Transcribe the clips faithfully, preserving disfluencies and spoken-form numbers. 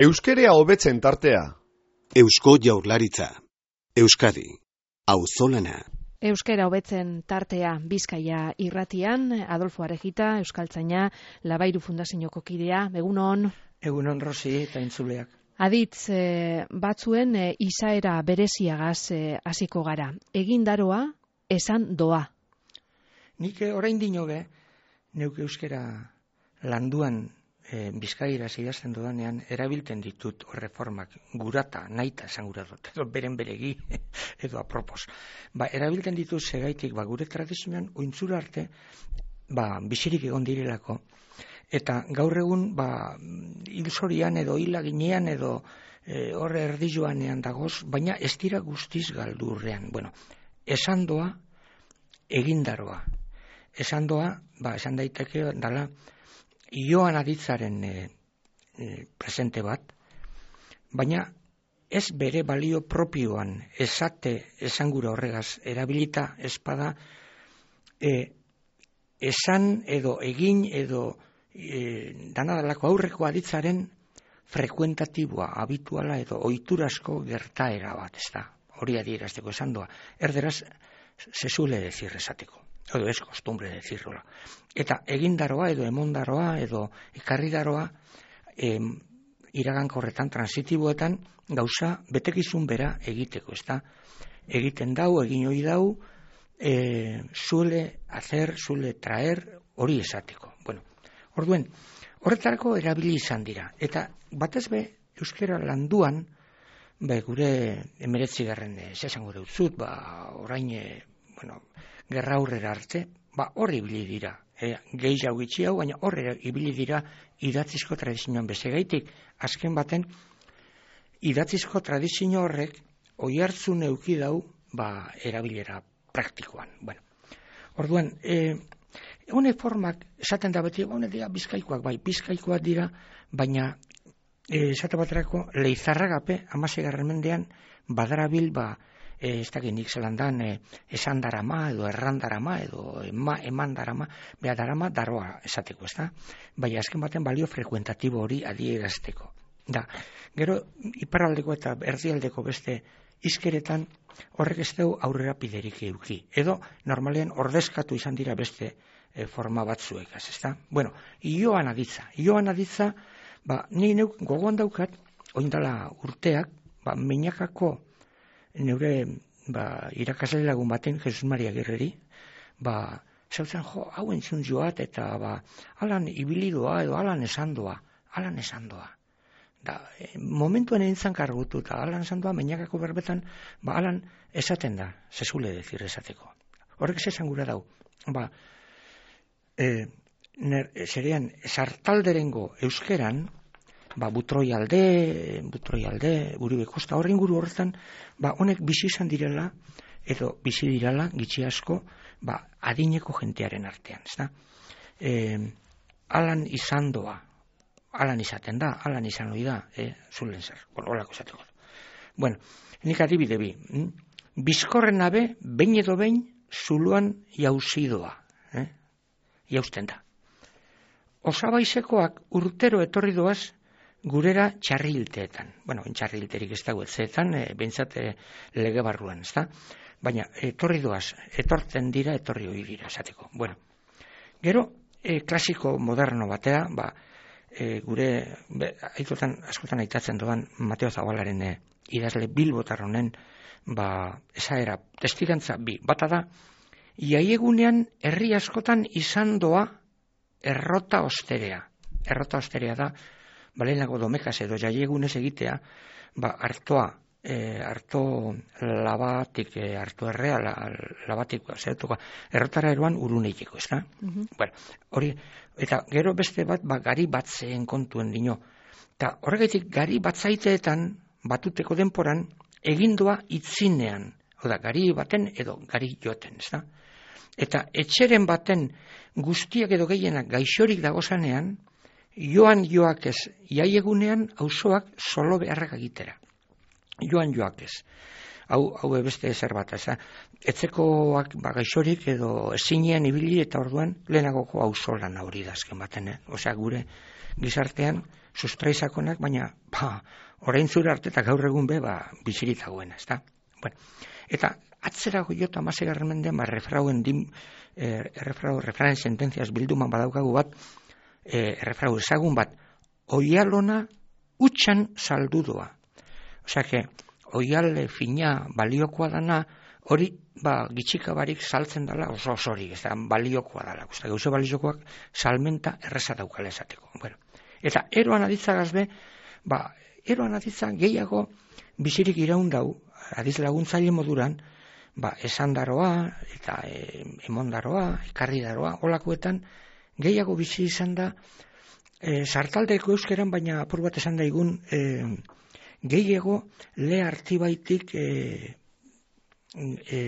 Euskerea hobetzen tartea. Eusko Jaurlaritza. Euskadi. Auzolana. Euskera hobetzen tartea Bizkaia irratian, Adolfo Arejita, euskaltzaina, Labairu Fundazioko kidea. Egunon. Egunon Rosi eta entzuleak. Aditz e, batzuen e, izaera bereziagaz hasiko gara. Egindaroa, esan doa. Nik orain dinobe, neuk euskera landuan e, Bizkaira idazten dodanean, erabilten ditut reformak gurata, nahita esan gura dut, edo beren beregi, edo apropos. Ba, erabilten ditut segaitik, ba, gure tradizioan, ointzura arte, ba, bizirik egon direlako, eta gaur egun, ba, hilzorian edo hilaginean edo e, horre erdijoanean dagoz, baina ez dira guztiz galdurrean. Bueno, esan doa, egindaroa. Esan doa, ba, esan daiteke, dala, Joan Aditzaren e, e, presente bat, baina ez bere balio propioan esate esangura horregaz erabilita espada e, esan edo egin edo e, danadalako aurreko Aditzaren frekuentatiboa, habituala edo ohiturasko gertaera bat, ez da, hori adierazteko esan doa. Erderaz, se suele decir esateko. Edo ez kostumbre decirrola. Eta egindaroa edo emondaroa edo ekarridaroa em, iragankorretan, transitiboetan gauza betekizun bera egiteko, ez da? Egiten dau, egin hori dau, e, suele hacer, suele traer, hori esateko. Bueno, orduen, horretarako erabili izan dira. Eta batez be, euskera landuan, be, gure emeretzi garren esango deutzut, ba, orain, e, bueno, gerra aurrera arte, ba, horre ibili dira. E, gehi jau gitxi hau, baina horre ibili dira idatzizko tradizioan bezegaitik. Azken baten, idatzizko tradizio horrek oihartzun euki dau, ba, erabilera praktikoan. Bueno, orduan, e, hone formak, esaten da beti, hone dira bizkaikoak, bai, bizkaikoak dira, baina, e, esate baterako, Leizarragape, amasegarren mendean, badarabil, ba, E, ez dakit nik zelandan e, esan darama edo erran darama edo ema, eman darama, beha darama daroa esateko, ez da? Bai, azken baten balio frekuentatibo hori adierazteko. Da, gero iparraldeko eta erdialdeko beste izkeretan horrek ez dugu aurrera piderik euki. Edo normalean ordezkatu izan dira beste e, forma batzuekaz, ez da? Bueno, Joan Aditza. Joan Aditza, ba, ni neuk gogoan daukat, oindala urteak, ba, Meñakako neure ba, irakasle lagun baten, Jesus Maria Gerreri, ba, zautzen jo, hau entzun joat, eta ba, alan ibilidoa edo alan esandoa, alan esandoa. Da, e, momentuan entzan kargutu, eta alan esandoa, Meñakako berbetan, ba, alan esaten da, zezule decir esateko. Horrek esan gura dau, ba, e, ner, zerean, sartalderengo euskeran, ba, butroi alde, butroi alde, Uribe Kosta, horren guru horretan, ba, honek bizi izan direla, edo bizi direla, gitxi asko, ba, adineko jentearen artean, ez da? E, alan izan doa, alan izaten da, alan izan hori da, e, zulen zer, horrelako esateko. Bueno, nik adibide bi, hm? Bizkorren abe, behin edo behin, zuluan jauzidoa, eh? Jausten da. Osabaizekoak urtero etorri doaz, gurera txarrilteetan. Bueno, txarrilterik ez dago etzeetan, e, bentsat e, lege barruan, ez da? Baina, etorri doaz, etortzen dira, etorri hori dira, esateko. Bueno, gero, e, klasiko moderno batea, ba, e, gure, be, aitotan, askotan aitatzen doan, Mateo Zabalaren e, idazle bilbotar honen, ba, esaera, testigantza bi, bata da, iaiegunean herri askotan izan doa errota osterea. Errota osterea da, balenago domekaz edo jaiegunez egitea, ba, hartoa, e, harto labatik, e, harto errea, la, labatik, zertuko, errotara eroan uruneiteko, ez da? Uh-huh. Bueno, hori, eta gero beste bat, ba, gari batzeen kontuen dino. Eta horregaitik, gari batzaiteetan, batuteko denporan, egindoa itzinean, oda, gari baten edo gari joten, ez da? Eta etxeren baten guztiak edo gehienak gaixorik dagozanean, joan joak ez, jaiegunean auzoak solo beharrak egitera. Joan joak ez. Hau, hau beste zer bat, ez da. Etzekoak ba, gaixorik edo ezinean ibili eta orduan lehenagoko auzolan hori da azken baten. Eh? Osea, gure gizartean sustraizakonak, baina, ba, orain zure arte eta gaur egun be, ba, bizirik dagoena, ez da? Bueno, eta atzerago jota amasegarren mendean, ba, refrauen dim, eh, refrau, refrauen sententziaz bilduman badaukagu bat, eh, refrau ezagun bat, oialona utxan saldudoa. Osea, que, oiale fina baliokoa dana, hori, ba, gitxika barik saltzen dela oso osorik, ez da, baliokoa dela. Usta, gauze baliokoak salmenta erreza daukala esateko. Bueno, eta eroan aditzagaz be, ba, eroan aditza gehiago bizirik iraun dau, adiz laguntzaile moduran, ba, esandaroa, eta e, emondaroa, ekarridaroa, olakoetan, gehiago bizi izan da, e, sartaldeko euskeran, baina apur bat esan daigun, e, gehiago le artibaitik e, e,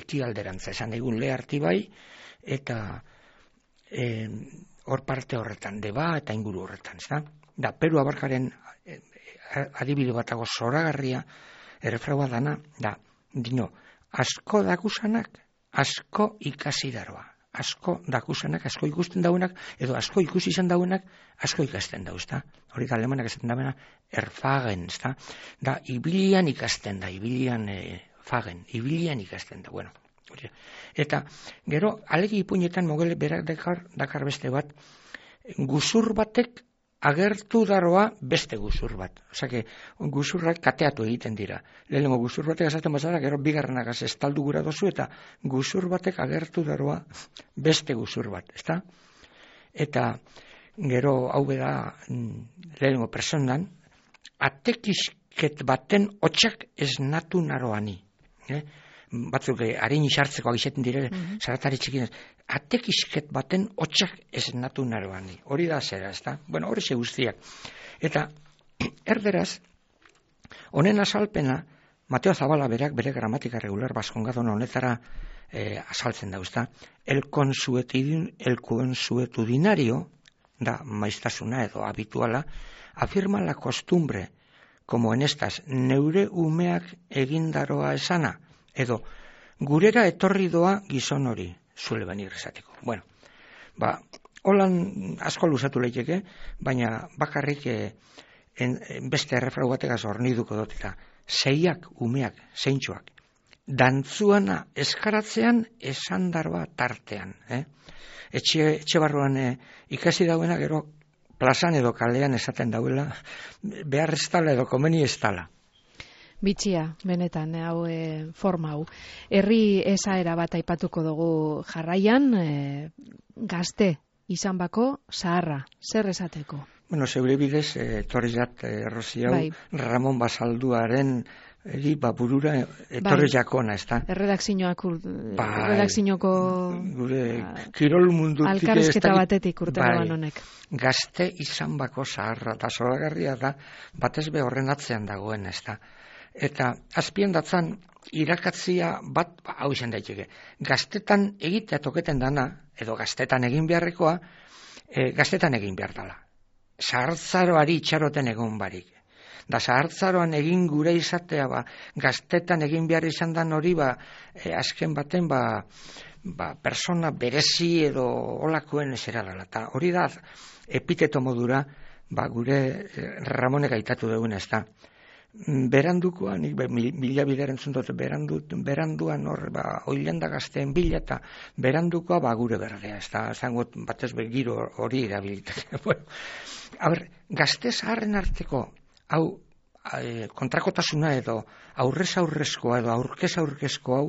ekialderantza, esan daigun le artibai, eta e, hor parte horretan, deba eta inguru horretan, ez da? Da, Peru abarkaren e, adibide batago zoragarria, errefraua dana, da, dino, asko dakusanak, asko ikasi daroa. Asko dakusanak, asko ikusten dauenak, edo asko ikusi izan dauenak, asko ikasten dau, ezta? Hori da, alemanak esaten dauena, erfagen, ezta? Da, ibilian ikasten da, ibilian e, fagen, ibilian ikasten da, bueno. Hori. Eta, gero, alegi ipuinetan mogele berak dakar, dakar beste bat, guzur batek agertu daroa beste guzur bat. Osea, guzurrak kateatu egiten dira. Lehenengo guzur batek esaten bazara, gero bigarrenak estaldu gura dozu, eta guzur batek agertu daroa beste guzur bat, ezta? Eta gero hau beda lehenengo personan, atekisket baten hotxak esnatu naroani. Eh? Batzuk harin isartzeko agizeten dire, mm-hmm. Zaratari txikinez, atekisket baten hotxak esnatu naroani. Hori da zera, ez da? Bueno, hori ze guztiak. Eta, erderaz, honen azalpena, Mateo Zabala berak bere gramatika regular baskongadon honetara eh, azaltzen da, ez da? El consuetudin, el consuetudinario, da maiztasuna edo habituala, afirma la costumbre, como en estas, neure umeak egindaroa esana, edo, gurera etorri doa gizon hori, zuele benir esateko. Bueno, ba, holan asko luzatu leiteke, baina bakarrik eh, en, en beste errefrau bategaz horniduko dut, eta zeiak umeak, zeintxoak, dantzuana eskaratzean esandaroa tartean. Eh? Etxe, etxe barruan eh, ikasi dauena gero plazan edo kalean esaten dauela, behar ez tala edo komeni ez tala. Bitxia, benetan, hau e, forma hau. Herri esaera bat aipatuko dugu jarraian, e, gazte izan bako zaharra, zer esateko? Bueno, zeure bidez, e, torri jat, e, Rosi hau, bai. Ramon Basalduaren eri, ba, burura etorri bai. Jakona, ez da? Erredakzinoak, bai. Erredakzinoko gure kirol mundutik alkarrizketa batetik urtero bai. Honek. Gazte izan bako zaharra, eta zoragarria da, batez be horren atzean dagoen, ez da? Eta azpien datzan irakatzia bat, ba, hau izan daiteke, gaztetan egitea toketen dana, edo gaztetan egin beharrekoa, e, gaztetan egin behar dala. Zahartzaroari itxaroten egon barik. Da zahartzaroan egin gure izatea, ba, gaztetan egin behar izan dan hori, ba, e, azken baten, ba, ba, persona berezi edo olakoen zera dela. Ta hori da, epiteto modura, ba, gure e, Ramonek aitatu dugun ez da. Berandukoan, nik mila bideren zuntot, berandu, beranduan hor, ba, oilanda gazteen bila, eta berandukoa, ba, gure berdea, ez da, zangot, batez be, giro hori erabilitak. Bueno, haber, gazte zaharren arteko, hau, e, kontrakotasuna edo, aurrez aurrezkoa edo, aurkez aurkezko hau,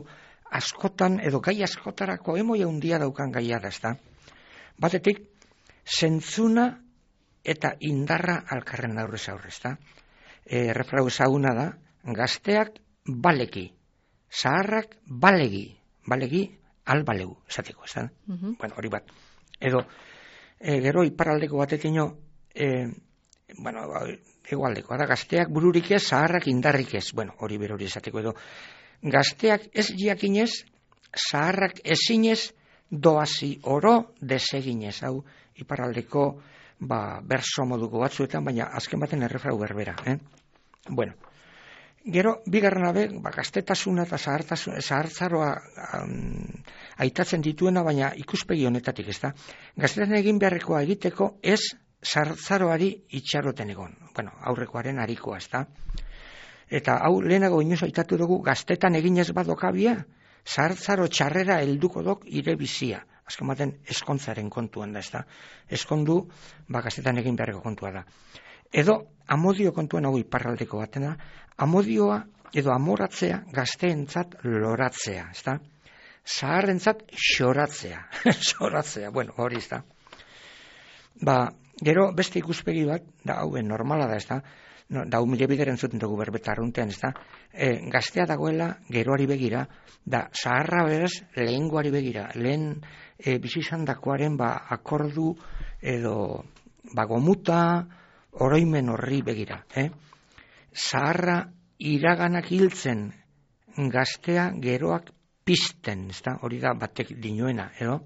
askotan, edo gai askotarako, emoia handia daukan gaia da, ez da. Batetik, zentzuna eta indarra alkarren aurrez aurrez, da. E, refrau ezaguna da, gazteak baleki, zaharrak balegi, balegi albalegu, esateko, ez da? Uh-huh. Bueno, hori bat. Edo, e, gero iparaldeko batetino, e, bueno, egualdeko, da, gazteak bururik ez, zaharrak indarrik ez, bueno, hori bero hori esateko, edo, gazteak ez jakinez, zaharrak ezinez, doazi oro deseginez, hau, iparaldeko, ba, berso moduko batzuetan, baina azken baten errefrau berbera, eh? Bueno, gero, bigarren abe, ba, gaztetasuna eta zahartzaroa um, aitatzen dituena, baina ikuspegi honetatik, ez da? Gaztetan egin beharrekoa egiteko ez zartzaroari itxaroten egon. Bueno, aurrekoaren harikoa, ezta? Eta hau lehenago inoz aitatu dugu gaztetan eginez badokabia, zartzaro txarrera helduko dok ire bizia. Azken baten eskontzaren kontuan da, ezta? Eskondu, ba, gaztetan egin beharreko kontua da. Edo, amodio kontuan hau iparraldeko batena, amodioa edo amoratzea gazteentzat loratzea, ezta? Zaharrentzat xoratzea, xoratzea, bueno, hori ezta. Ba, gero beste ikuspegi bat, da hauen normala da, ezta? No, da humile bideren zuten dugu berbeta arruntean, ezta? E, gaztea dagoela geroari begira, da zaharra beraz lehengoari begira, lehen e, bizizandakoaren ba, akordu edo ba, gomuta oroimen horri begira. Eh? Zaharra iraganak hiltzen, gaztea geroak pizten, ezta? Hori da batek dinoena, edo?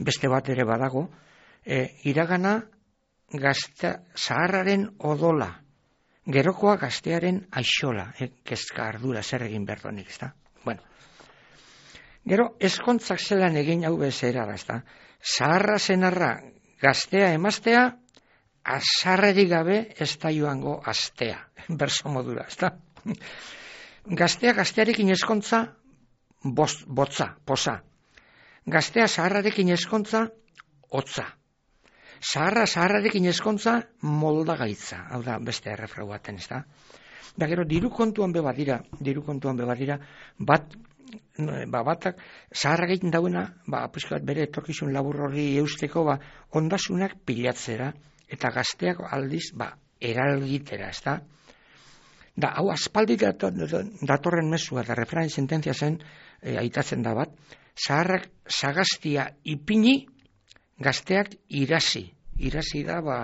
Beste bat ere badago, e, iragana gazte, zaharraren odola, gerokoa gaztearen aixola, eh, kezka ardura zer egin berdonik, ezta? Bueno. Gero, eskontzak zelan egin hau bezera da, ezta? Zaharra zenarra gaztea emaztea, azarrerik gabe ez da joango astea, berso modura, ezta? Gaztea gaztearekin eskontza, bost, botza, poza. Gaztea zaharrarekin eskontza, hotza. Zaharra zaharrarekin eskontza moldagaitza, hau da beste errefrau baten, ez da? Da gero, diru kontuan be badira, diru kontuan be badira, bat, ba, batak, zaharra egiten dauena, ba, pizkat bere etorkizun labur horri eusteko, ba, ondasunak pilatzera, eta gazteak aldiz, ba, eralgitera, ez da? Da, hau aspaldi datorren mesua, da refrain sententzia zen, e, aitatzen da bat, zaharrak sagaztia ipini, gazteak irasi, irasi da, ba,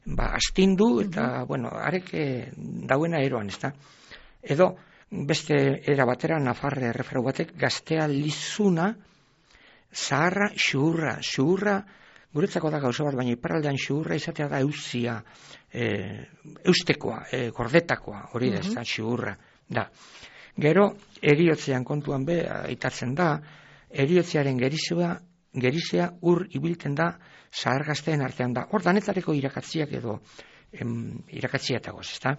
ba astindu, eta, uh-huh. bueno, arek e, dauena eroan, ez da? Edo, beste era batera, nafarre erreferu batek, gaztea lizuna, zaharra xuhurra, xuhurra, guretzako da gauza bat, baina iparraldean xuhurra izatea da euzia, e, eustekoa, e, gordetakoa, hori da, uh-huh. ez da, xuhurra, da. Gero, eriotzean kontuan be, aitatzen da, eriotzearen gerizua, gerizea ur ibilten da zahar gazteen artean da. Hor danetareko irakatziak edo em, irakatziatagoz, ez da?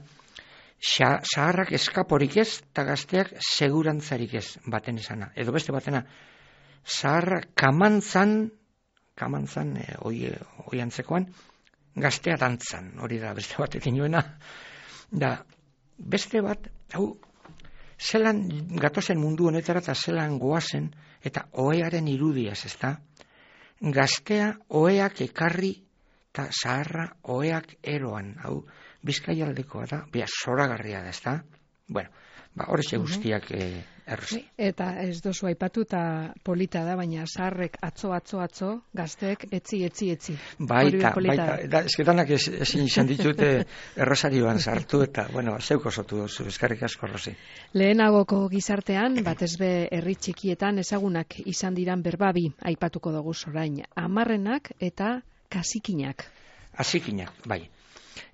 Zaharrak eskaporik ez, eta gazteak segurantzarik ez baten izana. Edo beste batena, zaharrak kamantzan, kamantzan, e, oi, oi antzekoan, gaztea dantzan, hori da beste batekin joena. Da, beste bat, hau, zelan gatozen mundu honetara eta zelan goazen, eta ohearen irudiaz, ez da? Gaztea oheak ekarri eta zaharra oheak eroan. Hau, Bizkaialdekoa da, bia, zoragarria da, ez da? Bueno, ba, horretxe guztiak eh, errozi. Eta ez dozu aipatu eta polita da, baina zaharrek atzo, atzo, atzo, gazteek etzi, etzi, etzi. Baita, baita, da, ezketanak ez, ezin izan ditute errosarioan sartu, eta, bueno, zeuko sotu dozu, eskarrik asko, Rosi. Lehenagoko gizartean, batez be herri txikietan ezagunak izan diran berbabi aipatuko dugu orain, amarrenak eta kasikinak. Asikinak, bai.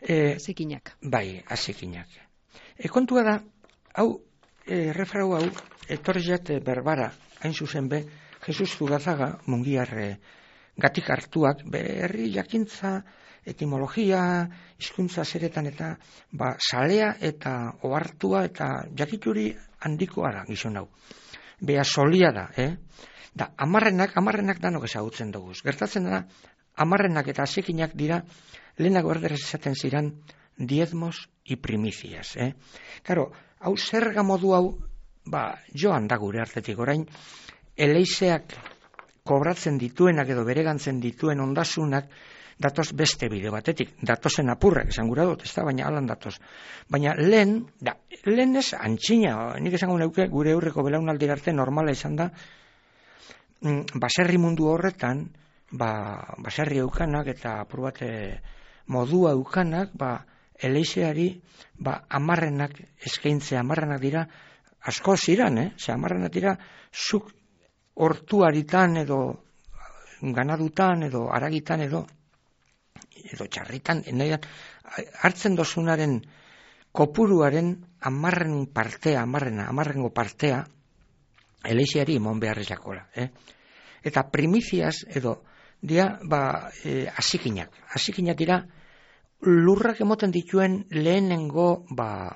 E, asikinak. Bai, asikinak. E, kontua da, hau, e, refrau hau, etorriat berbara, hain zuzen be, Jesus Zugazaga, mungiarre, gatik hartuak, be, herri jakintza, etimologia, hizkuntza zeretan eta, ba, salea eta ohartua eta jakituri handikoa da, gizon hau. Bea solia da, eh? Da, amarrenak, amarrenak danok ezagutzen dugu. Gertatzen da, amarrenak eta asikinak dira, lehenago erderaz esaten ziran, diezmos y primicias, eh? Karo, hau zerga modu hau, ba, joan da gure artetik orain, eleizeak kobratzen dituenak edo beregantzen dituen ondasunak, datoz beste bide batetik, datozen apurrak, esan gura dut, ez da, baina alan datoz. Baina lehen, da, lehen ez antxina, nik esango neuke gure aurreko belaunaldi arte normala izan da, baserri mundu horretan, ba, baserri eukanak eta apur bat modua eukanak, ba, eleizeari, ba, amarrenak eskaintzea, amarrenak dira, asko ziran, eh? Ze amarrenak dira, zuk hortuaritan edo ganadutan edo aragitan edo edo txarritan, nahian, hartzen dozunaren kopuruaren amarren partea, amarrena, amarrengo partea, eleizeari emon beharrezakola, eh? Eta primiziaz edo dia, ba, e, asikinak. Asikinak dira, lurrak emoten dituen lehenengo, ba,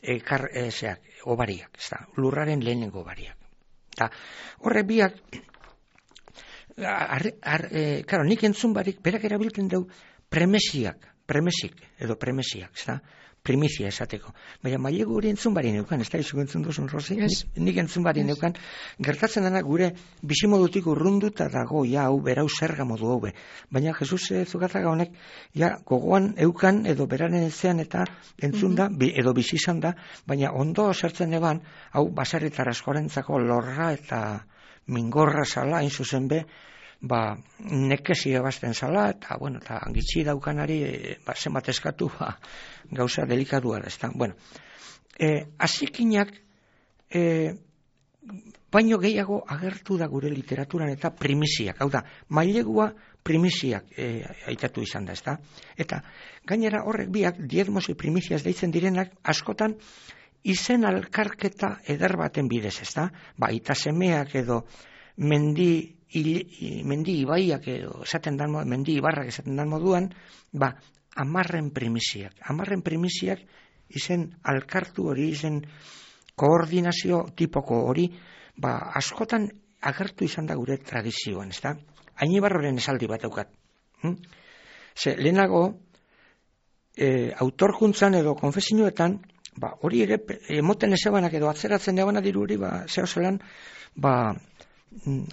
ekar, e, zeak, obariak, ez da, lurraren lehenengo obariak. Eta horrek biak, ar, ar, e, karo, nik entzun barik, berak erabiltzen dugu premesiak, premesik, edo premesiak, ez da, primizia esateko. Baina mailegu hori entzun bari neukan, ez da, izuko entzun duzun, Rosi? Yes. Nik, nik entzun bari Yes. neukan, gertatzen dena gure bizimodutik urrunduta dago, ja, hau, berau zerga modu hau be. Baina Jesus e, Zukataga honek, ja, gogoan eukan, edo beraren ezean eta entzun da, bi, edo bizi izan da, baina ondo zertzen eban, hau, baserritar askorentzako lorra eta mingorra zala, hain zuzen be, ba, nekesi ebazten zala, eta, bueno, eta gitxi daukanari, e, ba, zenbat eskatu, ba, gauza delikadua da, ez da. Bueno, e, asikinak, e, baino gehiago agertu da gure literaturan eta primisiak, hau da, mailegua primisiak e, aitatu izan da, ez da. Eta, gainera horrek biak, diezmos y primicias deitzen direnak, askotan, izen alkarketa eder baten bidez, ez da. Ba, itasemeak edo mendi, il, mendi ibaiak edo esaten dan, mendi ibarrak esaten dan moduan, ba, amarren primisiak. Amarren primisiak izen alkartu hori, izen koordinazio tipoko hori, ba, askotan agertu izan da gure tradizioan, ez da? Ainibarroren esaldi bat eukat. Hm? Ze, lehenago, e, autorkuntzan edo konfesioetan, ba, hori ere, emoten ezebanak edo atzeratzen ebana diru hori, ba, zeo zelan, ba,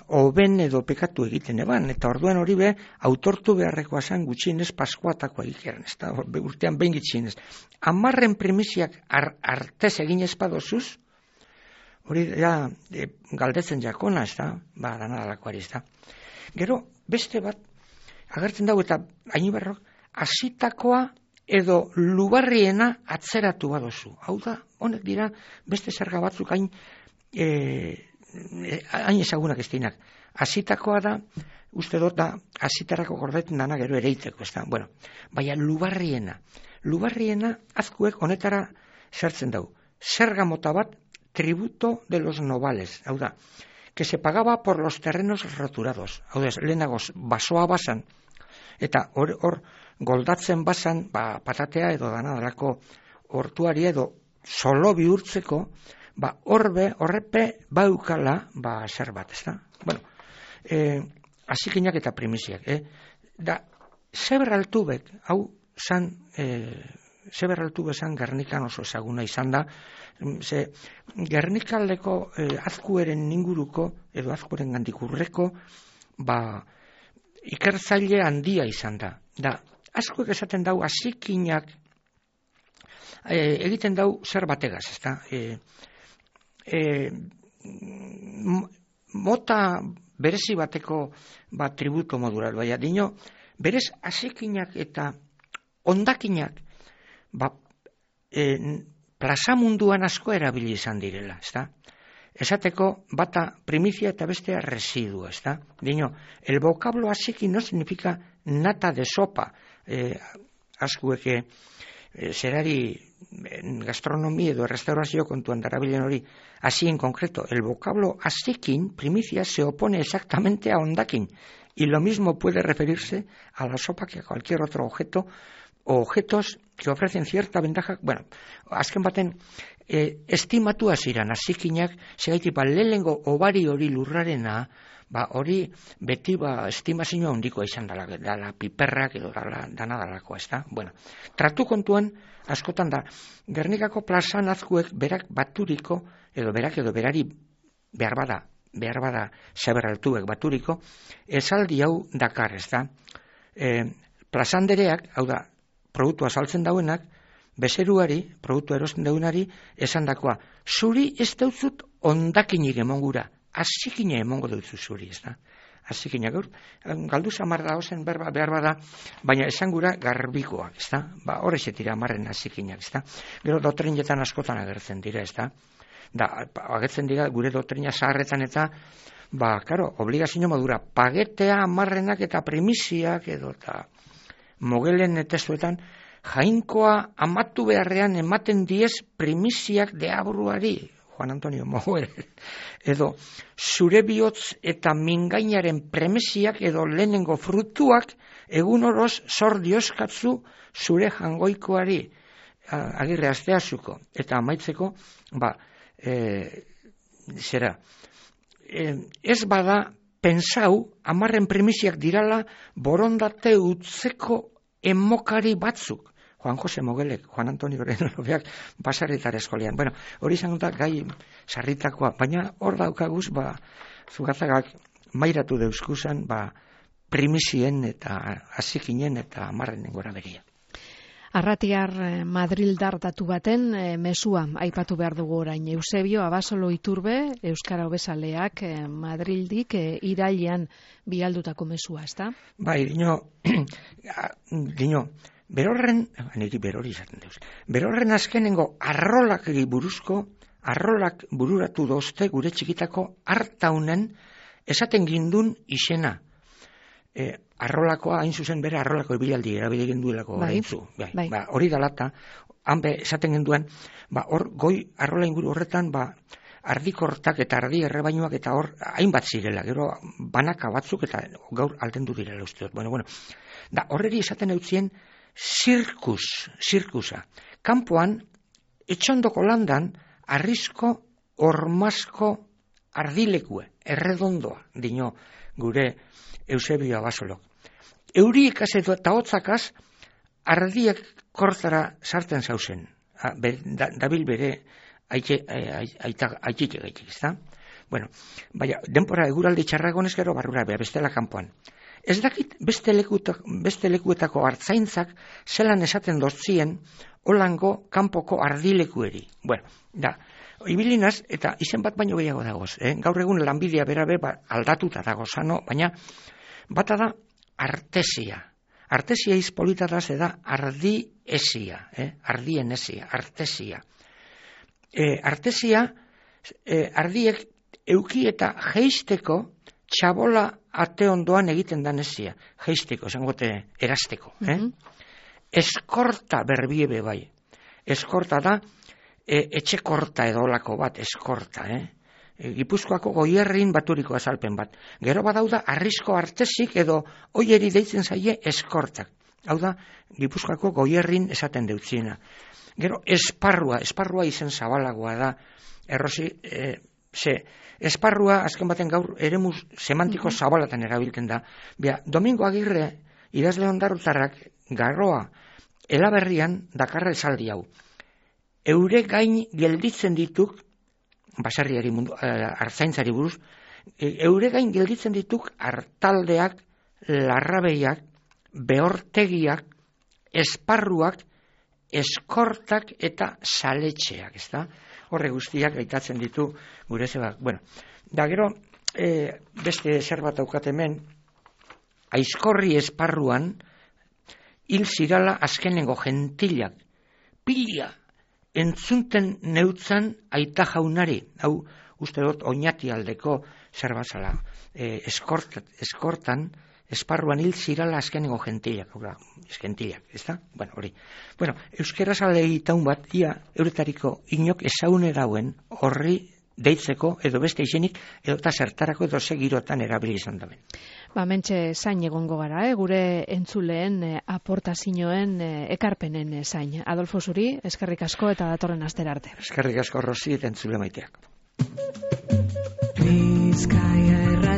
oben edo pekatu egiten eban, eta orduan hori be, autortu beharrekoa zen gutxienez paskoatakoa egiteran, ez da, urtean behin gitxienez. Amarren primisiak ar, artez egin ezpadozuz, hori da, e, galdetzen jakona, ez da, ba, danadalakoari, ez da. Gero, beste bat, agertzen dago, eta Ainibarrok, hasitakoa edo lubarriena atzeratu badozu. Hau da, honek dira, beste zerga batzuk hain, e, hain ezagunak ez dinak. Hasitakoa da, uste dut da, hasitarako gordetzen dana gero ereiteko, ez da. Bueno, baina lubarriena. Lubarriena azkuek honetara zertzen dau. Zerga mota bat, tributo de los novales. Hau da, que se pagaba por los terrenos roturados. Hau da, lehenago basoa basan, eta hor, hor goldatzen basan, ba, patatea edo danadalako hortuari edo solo bihurtzeko, ba, horbe, horrepe baukala, ba, zer bat, ez da? Bueno, eh, asikinak eta primisiak, eh? Da, Zeberraltubek, hau, zan, eh, Zeberraltube zan Gernikan oso ezaguna izan da, ze, Gernikaldeko eh, azkueren inguruko, edo azkueren gandik urreko, ba, ikertzaile handia izan da. Da, azkuek esaten dau, asikinak eh, egiten dau zer bategaz, ez da? Eh, E, mota berezi bateko ba, tributo modura, baina dino, berez asikinak eta ondakinak ba, e, plaza munduan asko erabili izan direla, ezta? Esateko bata primizia eta bestea residua, ezta? Dino, el vocablo asiki no significa nata de sopa, e, askueke e, zerari gastronomia edo restaurazio kontuan darabilen hori, así en concreto, el vocablo asikin, primicia, se opone exactamente a ondakin, y lo mismo puede referirse a la sopa que a cualquier otro objeto, o objetos que ofrecen cierta ventaja. Bueno, azken baten, eh, estimatua ziran, asikinak, segaitik, ba, lehengo obari hori lurrarena, ba, hori beti, ba, estimazioa handikoa izan dala, dala piperrak edo dala, dana dalakoa, ez da? Bueno, tratu kontuan, askotan da, Gernikako plazan azkuek berak baturiko, edo berak edo berari behar bada, behar bada Zeberraltuek baturiko, esaldi hau dakar, ez da? E, plazandereak, hau da, produktua saltzen dauenak, bezeruari, produktua erosten dauenari, esan dakoa, zuri ez dautzut ondakinik emongura, asikine emongo dutzu zuri, ez da? Asikina gaur, galdu zamar da ozen behar bada, baina esan gura garbikoak, ez da? Ba, horrexet dira amarren asikinak, ez da? Gero dotrinetan askotan agertzen dira, ez da? Da, agertzen dira gure dotrina zaharretan eta, ba, karo, obligazio modura, pagetea amarrenak eta primisiak edo, eta mogelen testuetan, jainkoa amatu beharrean ematen diez primisiak deabruari, Juan Antonio Moguer, edo zure bihotz eta mingainaren premisiak edo lehenengo frutuak egun oroz zor dioskatzu zure jangoikoari, Agirre Asteazuko, eta amaitzeko, ba, e, zera, e, ez bada pensau, amarren premisiak dirala borondate utzeko emokari batzuk. Juan Jose Mogelek, Juan Antonio Lobeak, Basaretara eskolean. Bueno, hori izan da gai sarritakoa, baina hor daukaguz, ba, Zugatzagak mairatu deuskuzan, ba, primisien eta azikinen eta amarren gora beria. Arratiar Madrildar datu baten e, mesua aipatu behar dugu orain. Eusebio Abasolo Iturbe, Euskara Hobezaleak e, Madrildik e, irailean bialdutako mesua, ezta? Bai, dino, dino, berorren, niri berori izaten deuz, berorren azkenengo arrolak buruzko, arrolak bururatu dozte gure txikitako hartaunen esaten gindun izena. E, arrolakoa hain zuzen bere arrolako ibilaldi erabili genduelako bai, oraintzu. Bai, bai. Ba, hori dalata, hanbe esaten genduen, ba, hor goi arrola inguru horretan, ba, ardikortak eta ardi errebainuak eta hor hainbat zirela, gero banaka batzuk eta gaur aldendu direla usteot. Bueno, bueno, da horreri esaten eutzien zirkus, zirkusa. Kanpoan, etxondoko landan, arrisko, ormasko ardilekue, erredondoa, dino gure Eusebio Abasolok. Euriekaz eta hotzakaz ardiak kortara sartzen zauzen. Dabil bere aitik egaitik, ezta? Bueno, baina, denpora eguraldi txarragonez gero barrura beha, bestela kanpoan. Ez dakit beste, lekutak, beste lekuetako hartzaintzak zelan esaten dozien holango kanpoko ardilekueri. Bueno, da, ibilinaz, eta izen bat baino gehiago dagoz. Eh? Gaur egun lanbidea berabe ba, aldatuta dago zano, baina bata da artesia. Artesia izpolita da ze da ardi esia, eh? ardien esia, artesia. E, artesia, e, ardiek euki eta geisteko txabola ate ondoan egiten da nesia. Geisteko, zangote erasteko. Eh? Mm-hmm. Eskorta berbiebe bai. Eskorta da, e, etxekorta edo olako bat, eskorta, eh? Gipuzkoako goierrin baturiko azalpen bat. Gero badauda arrisko artesik edo oieri deitzen zaie eskortak. Hau da, Gipuzkoako goierrin esaten deutziena. Gero esparrua, esparrua izen zabalagoa da, errosi, e, ze, esparrua azken baten gaur eremu semantiko mm-hmm. zabalatan erabiltzen da. Bia, Domingo Agirre, idazle ondarrutarrak, garroa, elaberrian dakarra esaldi hau. Eure gain gelditzen dituk, basarriari mundu, artzaintzari buruz, eure gain gelditzen dituk hartaldeak, larrabeiak, behortegiak, esparruak, eskortak eta saletxeak, ezta? Horre guztiak gaitatzen ditu gure zebak. Bueno, da gero, e, beste zer bat daukat hemen, aizkorri esparruan, hil zirala azkenengo gentilak, pila, entzunten neutzan aita jaunari, hau uste dut oinati aldeko zer batzala, e, eskort, eskortan, esparruan hil zirala azkenengo gentilak, hau gentilak, ez da? Bueno, hori. Bueno, euskera zale egitaun bat, ia euretariko inok ezaune dauen horri deitzeko, edo beste izenik, edo eta zertarako edo segirotan erabili izan daben. Ba, mentxe zain egongo gara, eh? Gure entzuleen eh, aportazioen eh, ekarpenen eh, zain. Adolfo Zuri, eskerrik asko eta datorren astera arte. Eskerrik asko Rosi eta entzule maiteak. Bizkaia erra